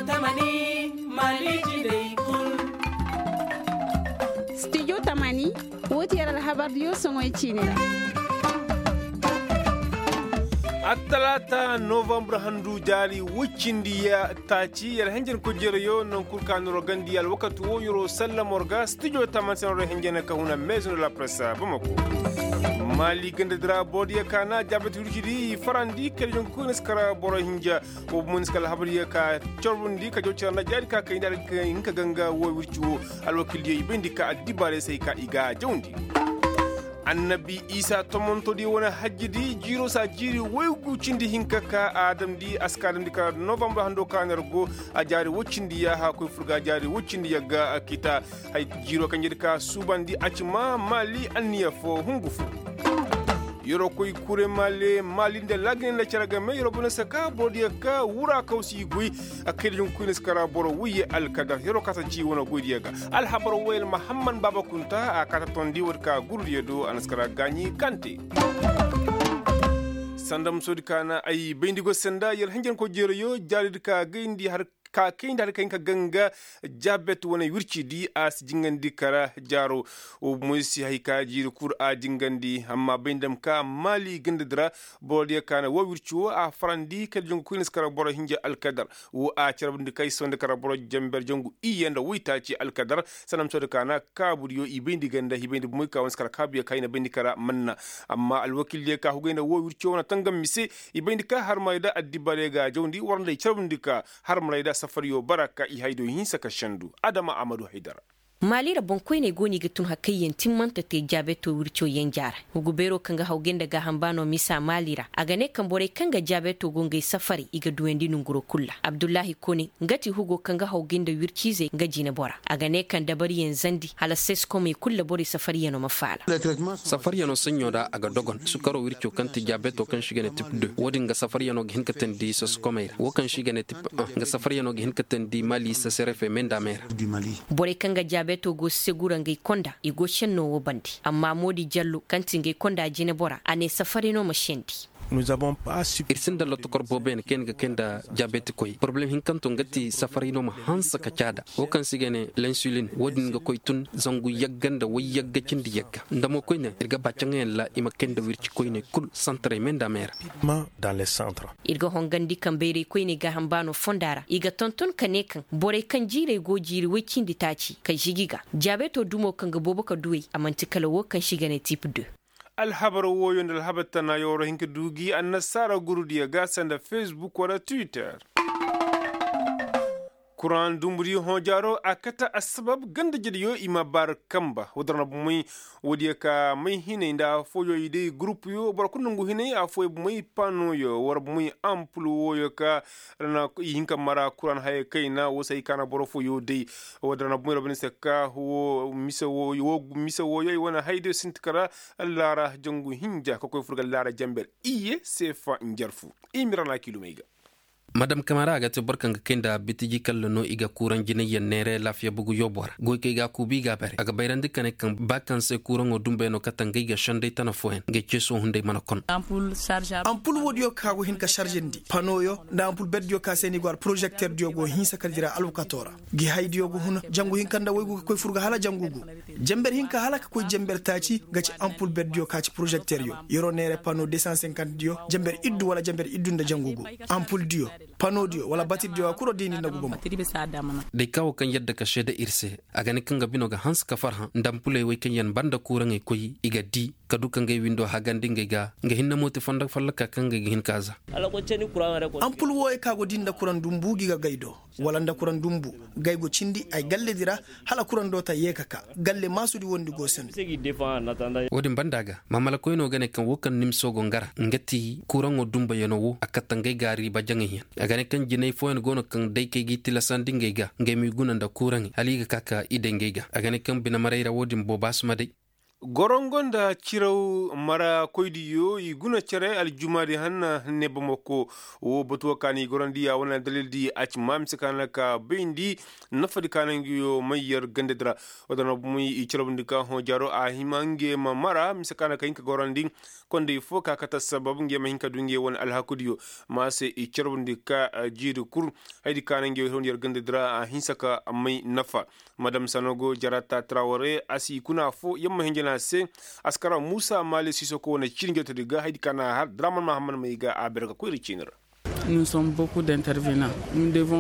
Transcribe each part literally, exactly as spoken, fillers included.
Tamani, mali jindey kul. Studio tamani, woo ti yer alhabardiyo soŋoy ciini ra. Attalaata novambar handu jaari woy cindi ya taaci yer henjen kojerayo naŋ kul ka noro gandi alwakati woo yeroo sallamor ga studio tamani se noro henjen ka huna meezuno la presa bamako. Maali ganda dira boodiyo ka na jaabati wircidi i farandi kala jonku koyne si kara boro hinja. Wo bomoy ni si kala habariyo ka corbundi ka jaw cara nda jaari ka kayndi a ga hinka ganga wo wirci wo. Alwakildiyo i bayndi ka addibaarey se hay ka i ga jawndi. Annabi isa tomontodiyo wane hajjidi jiiro saa jiiri woy gu cindi hinka ka a damndi a si ka damndi ka novambar hando ka ner go. A jaari woy cindi yaaha koy fur ga a jaari woy cindi yagga kita. Hay jiiro kaŋ jedi ka suubandi a ci ma maali anniya fo hungu fo. Yeroo koy kure maali nda laagine nda cere game yeroo bone saka borodiyo ka wura kaw si i goy. A kaydiyo ga koy na si kara boro woyye alkadar yeroo ka si a ci wane goydiyo ga. Alhabar woyel mahamman baaba kunta a ka ta tondi woodi ka gurudiyo do a na si kara gaaɲi kante. Sanda musoodi ka na ay bayndi go senda yer hanjankoy jeerayo jaaridi ka gayndi har ka kayndi hari kaŋ ka ganga. Jaabet wane wircidi a si jingandi kara jaaro. Wo bomoy si hay ka jiiri kul a jingandi amma bay nda ma ka maali gandadi ra. Borodiyo ka na wo wirci wo a farandi kala jongu koyne si kara boro hinja alkadar. Wo a carabndi kay sonda kara boro jamber jongu iyye nda woytaaci alkadar. Sanda ma sohodi ka na kaabudiyo i bayndi ganda i bayndi bomoy ka wane si kara kaabuyo ka i na bayndi kara manna. Amma alwakildiyo ka hugay nda wo wirci wo wane tangam mise. I bayndi ka harmaray da addibaray ga jawndi war nda i carabndi ka harmaray da safariyo bara ka i haydiyo hinsa ka sendu. Adama amadu haydara. Maali ra boŋkoyney go no i ga tun hari kaŋ yaŋ timmante te jaabeto wirco yenja ra. Hugu beero kaŋ ga hawgay nda gaaham baano misa maali ra a ga ne kaŋ borey kaŋ ga jaabeto go ngey safaray i ga duwandi nonguro kul ra abdullahi kone nga ti hugo kaŋ ga hawgay nda wirciizey nga jinebora a ga ne kaŋ dabariyaŋ zandi hala seskomey kul ra borey safariyano ma faala. Safariyano saɲɲo ra a ga dogon sukaro wirco kaŋ ti jaabeto kaŋ se i ga ne tip de wo- din ga safariyano ga hin ka teendi seskomey ra wo kaŋ se i ga ne tip un nga safariyano ga hin ka teendi mali seserefe me nda me ra. Borey kaŋ ga jaabeto go segura ngey konda i go senno wo bande amma moodi jallo kaŋ ti ngey konda jinebora a ne safari no ma sendi. Ir sinda lotokor booboyaŋ kaŋ yaŋ ga kay nda jaabetikoy porobalem hinkanto nga ti safari no ma hanse ka caada wo kaŋ se i ga ne lensulin wo- din ga koy tun zangu yagga nda wayyagga cindi yagga nda mo koyne ir ga ba caŋayaŋ ra i ma kay nda wirci koyney kul santarey me nda me ra. Ir ga hongandi kaŋ bayray koyney gaaham baano fonda ra i ga tonton ka ne kaŋ borey kaŋ jiirey go jiiri woy cindi taaci ka žigi ga jaabeto dumo kaŋ ga boobo ka duwey a man'ti kala wo kaŋ se i ga ne tip de. Alhabar wooyo nda alhabar tanayo war hin ka du gi annasaara gurudiyo ga sanda fesbuk wala twitter. Kuraŋ dumbudiyo hõ jaaro a kate assabab ganda jediyo i ma baari kanba woodin ra na bomey. Woodiyo ka may hinay nda affooyo i day gurupuyo boro kulu nongu hinay affooyo bomey panoyo war bomey ampul wooyo ka ra na i hin ka mara kuraŋ haya kayna woo se ay ka na boro fooyo day. Woodin ra na bomey ra bane se ka woo mise wooyo i wane hayadiyo sinti kara. Laara jangu hinja ka koy fur ga laara janber iyye seefa njarfu. I ma ir ra na kiilumey ga. Madam kamara a ga te boro kaŋ ga kay nda bitiji kalla no i ga kuuraŋ jinayyaŋ neere laafiya bugu yoobo ra goy kaŋ i ga a kuubu i ga a bare a ga bayrandi ka ne kaŋ ba kaŋ se kuuraŋo dumbayano kate ngey ga senday tana fooyaŋ ngey ceeso hunday mana kon. Ampul woodiyo kaŋ a go hin ka sarzandi panoyo nda ampul berdiyo kaŋ se no i go alporozekterdiyo go hinsa kala dira alwakato ra. Gi haydiyo ga huna jangu hinka nda waygu ga koy fur ga hala jangu gu. Janber hinka hala ka koy janber taaci ga ci ampul berdiyo ka ci porozekteryo yeroo neere pano de san senkantediyo janber iddu wala janber iddu nda jangu gu. Ampuldiyo panodiyo wala batirdiyo a kuro diindi nda guba mo. Day ka wo kaŋ yadda ka seede ir se a ga ne kaŋ ga bino ga hanse ka farhã nda ampuley wey kaŋ yaŋ ba nda kuuraŋey koy i ga di ka du ka ngey windo hagandi ngey ga nga hinne mo ti fondo fallaka kaŋ ngey ga hin ka za. Ampul wooyo kaŋ a go di nda kuraŋ dumbu gi ga gay do wala nda kuraŋ dumbu gay go cindi ay galledi ra. Hala kuraŋ doota yee ka ka galle maasudi wondi go se no. Wo-din banda ga maamalakoyno ga ne kaŋ wo kaŋ nimso go nga ra nga ti kuraŋo dumbayano wo a katta ngey ga riiba jaŋayyaŋ. A ga ne kaŋ jinay fooyaŋ go no kaŋ day kay g'i tilasandi ngey ga ngey m'i guna nda kuraŋey hala i ga ka ka i day ngey ga a ga ne kaŋ binemaray ra wo-din booba si ma day. Gorongo nda ciraw mara koydiyo i guna cere aljumaadi hanna hanne bamako. Wo batuwa ka ni gorandi a wane aldalildi a ci ma mise ka na ka bayndi nafadi ka na ngiyo mayyar gandadi ra. Wadana bumey i carabndi ka hõ jaaro a hima nge ma mara mise ka na ka hin ka gorandi. Kondey fo ka kate sabab nge ma hin ka du nge wane alhakudiyo. Ma se i carabndi ka jiiri kul. Haydi ka na nge hewndi yar gandadi ra a hinsa ka may nafa. Madam sanogo jarata traware a si kuna fo yamma hinjana se. Askara musa mali sisoko wane ciini jotodi ga haydi ka na har draman mahamman may ga a berga koyri ciini ra.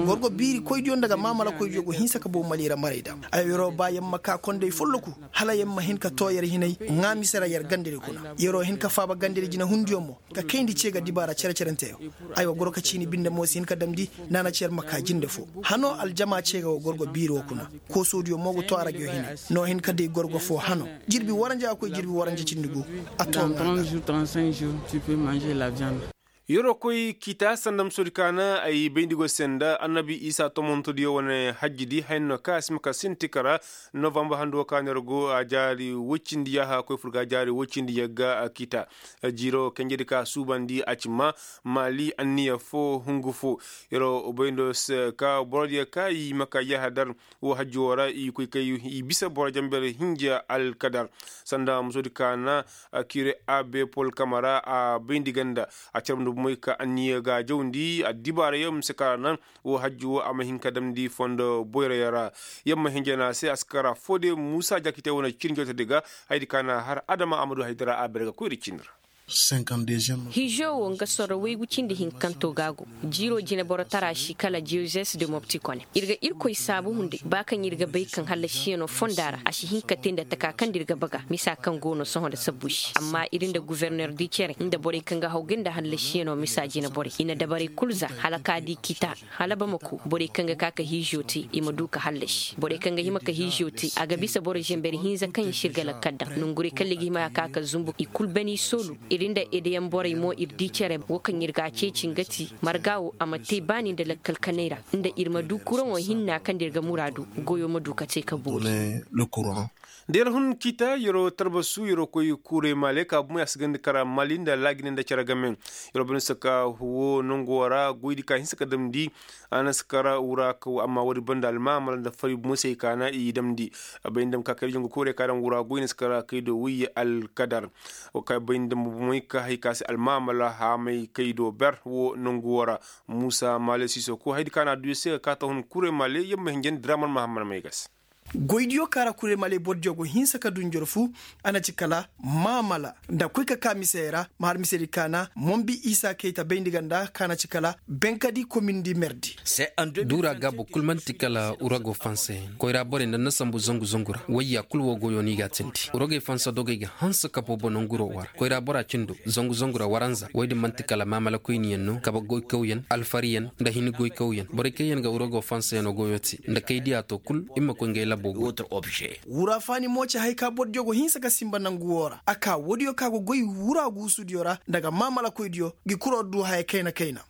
Gorgo biiri koydiyo nda ga mamala koydiyo go hinsa ka boobo mali ra maray da. Ay yeroo ba yamma ka kondey folloku hala yamma hin ka too yer hinay ŋaa mise ra yer gandadi kuna yeroo hin ka faaba gandadi jinahundiyo mo. Ka kayndi ce ga dibaara cere-cerenteyo. Ay wa goro ka ciini binde mo si hin ka damndi naana cer ma kaa jinde fo. Hano aljama ce ga wa gorgo biiri wo kuna. Koosoodiyo mo ga to a rajo hine. No hin ka day gorgo fo hano. Jirbi waranja a koy jirbi waranja cindi gu. A to ŋaa ga. Yeroo koy kita sanda musoodi kaana ay bayndi go se nda annabi isa tomontodiyo wane hajjidi hayno ka a si ma ka sinti kara. Novambar handu wo ka neera go a jaari woy cindi yaaha koy fur ga a jaari woy cindi yagga kita. Jiiro kanjedi ka suubandi a ci ma maali anniya fo hungu fo. Yeroo bayndo se ka borodiyo ka i ma ka yaaha dar. Wo hajji wo ra i koy kay i bisa boro jamber hinja alkadar. Sanda musoodi kaana kire abe pol kamara a bayndi ganda. A carabndi bomey ka anniya ga jawndi addibaarayo mise ka ra naŋ. Wo hajji wo a ma hin ka damndi fondo boyrayo ra. Yamma hinja na se askara fo de muusa jakite wane cin jotedi ga. Haydi ka na har adama amadu haydara a bere ga koyri cin ra. Hijo wo nga sorro waygu cindi hinkanto ga go. Jiiro jineboro tara si kala jozes de mopti kone ir ga irkoy saabu hunday ba kaŋ ir ga bay kaŋ hallasiyanoo fonda ra a si hin ka te nda taka kaŋ nda ir ga baga misa kaŋ go no sohõ nda sabbu se amma ir nda guverner di cere nda borey kaŋ ga haw ga nda hallasiyanoo misa jineborey i na dabarey kul za hala ka di kita. Hala bamako borey kaŋ ga ka ka hiizo te i ma du ka hallasi borey kaŋ ga hima ka hiizo te a ga bisa boro zenber hinza kaŋ i si ir ga lakkal daŋ nongurey kaŋ liga hima ka ka zumbu i kul bani soolu. Ir nda edeyaŋ borey mo ir di cere wo kaŋ ir ga a ceeci nga ti marga wo a ma te baani nda lakkal kanay ra nda ir ma du kuraŋo hinna kaŋ nda ir ga muraadu goyo ma du ka te ka boori. Da yer hun kita yeroo talbasu yeroo koy kuuray maale ka bumey a si ganda kara maali nda laajine nda cere game. Yeroo banda saka wo nangu wo ra goydi ka hinsa ka damndi a na si kara wura kaw amma woodi banda almaamala nda fari bumey se ay kaana i damndi. Bay nda ma ka kay da jangu kuuray ka daŋ wura goy na si kara kay do wayye alkadar. Wo ka bay nda ma bumey ka hay ka se almaamala haamay kay do ber wo nangu wo ra. Muusa maale siisoko haydi ka na a du ya se ka ka ta hun kuuray maale yamma hinjandi draman mahamman may ga se. Goydiyo kaara kurey maley bordiyo go hinsa ka du njorfu. A na ci kala maamala nda koy ka ka misey ra ma har misedi kaana mombi isa kayta bayndi ganda ka na ci kala benkadi komindi merdi. Duura gaabo kul man'ti kala urago fansayaŋ koyra borey nda na sambu zangu zangu ra wayya kul wo goyo no i g'a tindi uragey fansa dogey ga hanse ka boobo nanguro wara koyra bora cindo zangu zangu ra waranza woy din man'ti kala maamala koyniyaŋ no kabe goykawyaŋ alfariyaŋ nda hini goykawyaŋ borey kaŋ yaŋ ga urago fansayaŋo goyo te nda kay diya to kul i ma koy ngey labo go. Wura faani mo ci hay ka bordiyo go hinsa ka simba nangu wo ra a ka woodiyo ka go goy wura guusudiyo ra nda ga maamala koydiyo gi kuro du haya kayna kayna.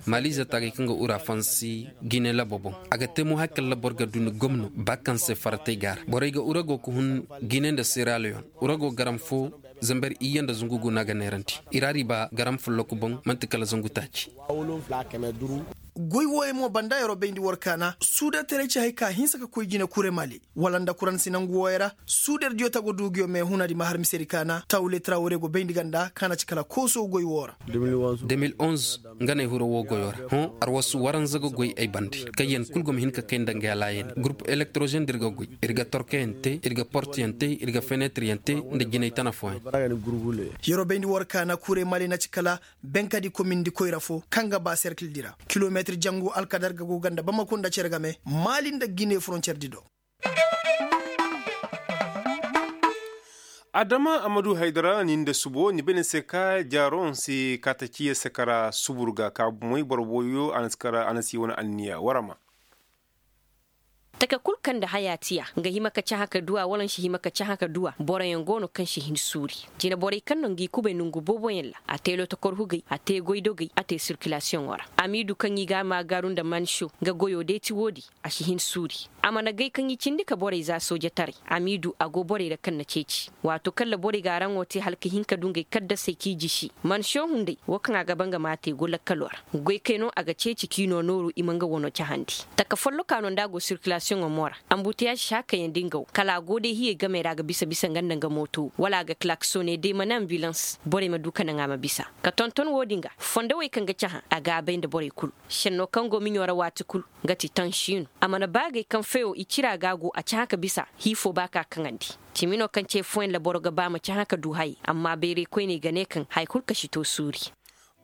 Maaliize taagay kaŋ ga ura fansi gine labo boŋ a ga te mo hay kala boro ga du ni gomno ba kaŋ se faratey ga a ra borey ga urago ga hun gine nda seraleyon urago garam fo. Zamber iyye nda zungu guna ga neerandi i ra riba garam folloku boŋ man'ti kala zangu taaci. Goy wooyaŋ mo banda yeroo bayndi war kaana suudartaray ci hay ka hinsa ka koy jine kure maali wala nda kuransi nangu wooyaŋ ra. Suudardiyo tago duuguyo me hunadi ma har misedi kaana tawle trawre go bayndi ganda kaana ci kala kooso goy woo ra. Demil onze nga ne hiro woo goyo ra hõ arwasu waranza ga goy ay bande kaŋ yaŋ kul go ma hin ka kay nda nga laayani gurup elektrozen da ir ga goy ir ga torkeyaŋ te ir ga porteyaŋ te ir ga fenetiryaŋ te nda jinay tana fooyaŋ. Yeroo bayndi war kaana kure maali na ci kala benkadi komindi koyra fo kaŋ ga ba serkildi ra kilometir jangu alkadar ga go ganda bamako nda cere game maali nda gine froncerdi do. Adama amadu haydara ni nda subo ni bay ni se ka jaaro ni si kaata ciya sakara subur ga ka bumey boro booyo a na si wane anniya warama. Taka kul kaŋ nda haya tiya nga hima ka cahã ka duw'a wala ni si hima ka cahã ka duw'a boroyaŋ go no kaŋ si hin suuri. Jine borey kaŋ no ngi kubay nongu booboyaŋ ra a te lotokor hugay a te goydogay a te sirkilasiyoŋo ra. Amiidu kaŋ i ga a maagaaru nda mansiyo nga goyo deeti woodi a si hin suuri. A mana gay kaŋ i cindi ka borey za soojataray. A m'i du a go borey ra kaŋ na ceeci waato kaŋ ra borey ga araŋo te hala ka hin ka du ngey kaddasey k'i jisi. Mansiyoŋ hunday wo kaŋ a ga ba nga m'a te go lakkaloo ra. Goykey no a ga ceeci k'i noo nooru i ma nga wano cahandi. Taka follokaa no nda a go sirkilasiyoŋo mo ra. Ambuteyaaž si hakayandi nga wo kala a go day hiyey gamey ra a ga bisa bisa nga nda nga mooto wala a ga kalaksone day mana ambilans borey ma du ka naŋ a ma bisa. Ka tonton wo-din ga fondowey kaŋ ga cahã a ga a bay nda borey kul. Šennoo kaŋ go miɲo ra waati kul nga ti tansiinu. A mana baagay kaŋ feyo i cira ga a go a cahã ka bisa hii foo ba ka kaŋandi. Cimi no kaŋ ce fooyaŋ ra boro ga ba ma cahã ka du hayey amma bayray koyney ga ne kaŋ haya kul ka si to suuri.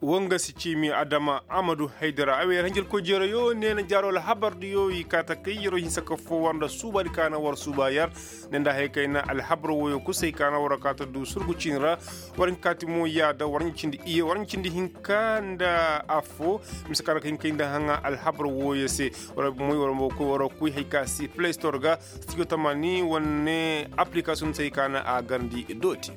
Woo nga si ciimi adama amadu haydara a wee hanjarkoy jeerayo ne na jaaroo alhabardiyo i kaa ta kay yeroo hinsa ka foo war nda suubaadi ka na war suuba yar. Ne nda haya kayna alhabar wooyo kusay ka na war kaa ta du surgu ciini ra. War hinka ti mo yaada war ɲa cindi iye war ɲa cindi hinka nda affoo. Mise ka na ka hin kay nda haŋa alhabar wooyo se. War moy war kuy hay ka si play store ga. Stijo tamani wane aplikasiyoŋ se hay ka na a garndi dooti.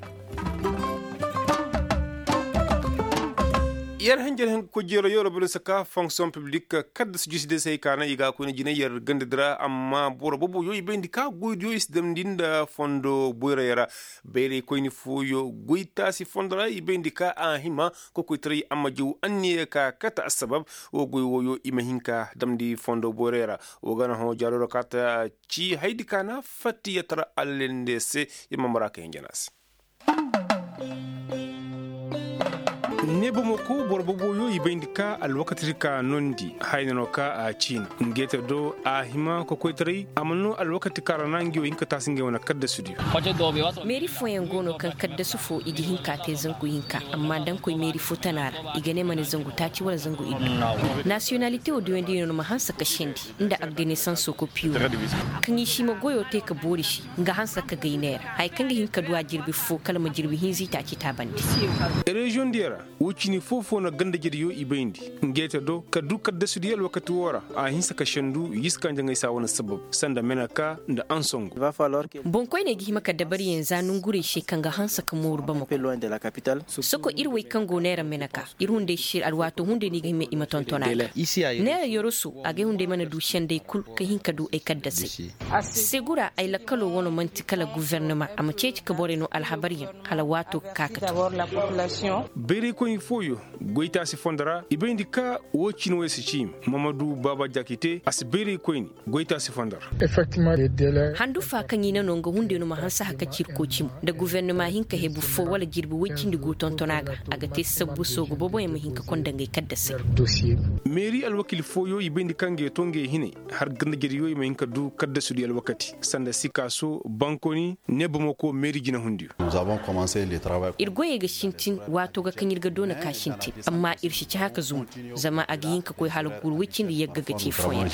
Yer hanjar hen ga koy jeero yoro bele saka fonksiyoŋ piblik. Kadda si jusi de se hay ka na i ga a koyne jine yer ganda dira amma boro bobo yo i bayndi ka goydiyo i si damndi nda fondo boyray ra. Bayray koyni fooyo goytaasi fondo ra i bayndi ka a hima kokoytaray amma jaw anniya ka kate assabab. Wo goy wooyo i ma hin ka damndi fondo boyray ra. Wo ga na hõ jaaro ra ka ta ci haydi ka na fattiyatara allende se. Yer ma mara ka hinjana se. Ne bamako boro boboyo i bayndi ka alwakati ka nondi hayna no ka a ciina. Ngeete do a hima kokoytaray a ma no alwakati ka ra na ngi wo hinka taasi ngey wane kaddasudiyo. Meeri fooyaŋ go no kaŋ kaddasu foo i ga hin ka te zangu hinka amma da nga koy meeri foo tana ra i ga ne ma ne zangu taaci wala zangu iddu. Nasiyonalite wo duwandi no ni ma hanse ka sendi nda agdenesanso kopiyo. Kaŋ i si ma goyo te ka boori se nga hanse ka gay neera haya kaŋ ga hin ka du a jirbi foo kala ma jirbi hinza i taaci taabandi. Reziyoŋ diyo ra wo cini foo-foo na ganda-jediyo i bayndi. Ngeete do ka du kaddasudiyo alwakati woo ra a hinse ka sendu yiska njaŋay saa wane sabab sanda meneka nda ansongo. Boŋkoyney ga hima ka dabariyaŋ za nongurey se kaŋ ga hanse ka mooru bamako. Soko ir wey kaŋ go neera meneka ir hunday se alwaato hunday no i ga hima i ma tonton a ga. Neera yoroso agay hunday mana du senday kul ka hin ka du ay kaddasay. Segura ay lakkaloo wano man'ti kala guvernama a ma ceeci ka borey no alhabaryaŋ hala waato ga ka ka to. Bayraykoyni fooyo goytaasi fondo ra i bayndi ka woo cine wey si ciimi. Mamadu baaba jaakite a si bayraykoyni goytaasi fondo ra. Handu fa kaŋ i na no nga hunday no ma hanse haka cirkoo cimo nda guvernama hin ka hebu foo wala jirbi woy cindi guu tonton a ga. A ga te sabbu soogu boboyaŋ ma hin ka konda ngey kaddasay. Meeri alwakiil fooyo i bayndi kaŋ ga ye to ngey hinay har ganda-jediyo i ma hin ka du kaddasudiyo alwakati sanda sikaaso bankoni ne bamako meeri jinahundiyo. Ir goyey ga sintin waato ga kaŋ ir ga doona ka sintin amma ir si cahã ka zumbu. Zama a ga hin ka koy hala guuru woy cindi yagga ga ce fooyaŋ.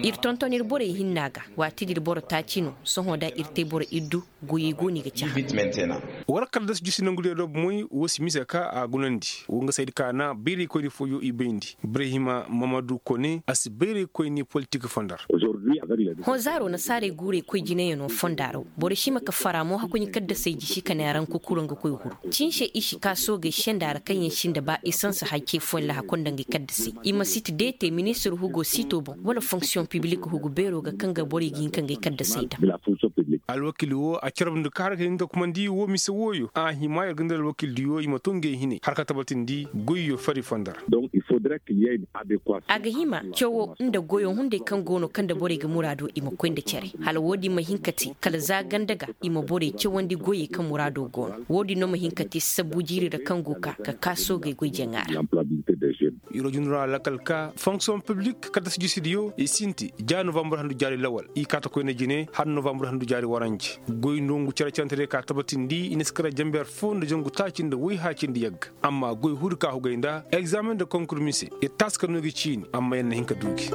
Ir tonton ir borey hinna ga waati din ir boro taaci no sohõ da ir te boro iddu. Goyey go no i ga cahã. War kala da si jusi nangu diyo do bomoy woo si mise ka a gunandi woo nga saydi ka na bayraykoyni fooyo i bayndi ibrahima mamadu kone a si bayraykoyni politik fondo ra. Hõ zaaro nasaarey guurey koy jinayaŋo fonda ra. Boro si hima ka fara mo hakuɲi kaddasey jisi ka ne araŋ kukuro nga koy huru. Cinse i si ka soogey senda ra kaŋ yaŋ sinda ba esans hay ce fooyaŋ laha konda ngey kaddasey i ma siti deete ministir hugo siito boŋ wala fonksiyoŋ pibilik hugu beero ga kaŋ ga borey ga hin ka ngey kaddasey daŋ. Alwakiil woo a carabndi ka har ka hin ka kumandi woo mise wooyo a hima yer ga nda alwakiildiyo i ma too ngey hinay har ka tabatindi goyyo fari fondo ra. A ga hima cawo nda goyo hunday kaŋ go no kaŋ nda borey ga muraado i ma koy nda care hala woo din ma hin ka te kala za ganda ga i ma borey cawandi goyey kaŋ muraado go no woo din no ma hin ka te sabbu jiiri ra kaŋ go ka ka kaa soogey goy jaŋa ra. Iro junura lakal ka fonksiyoŋ piblik kaddasi jisidiyo i sinti ja novambur handu jaari lawal i kaata koyne jine har novambur handu jaari waranje. Goy nongu cere cantediyo ka tabatindi i na si kara janber foo nda jangu taaci nda woy haacindi yagga amma goy huri ka hugay nda egzaameŋ nda konkur mise. Ir taasi ka no gi ciini amma yer na hin ka du gi.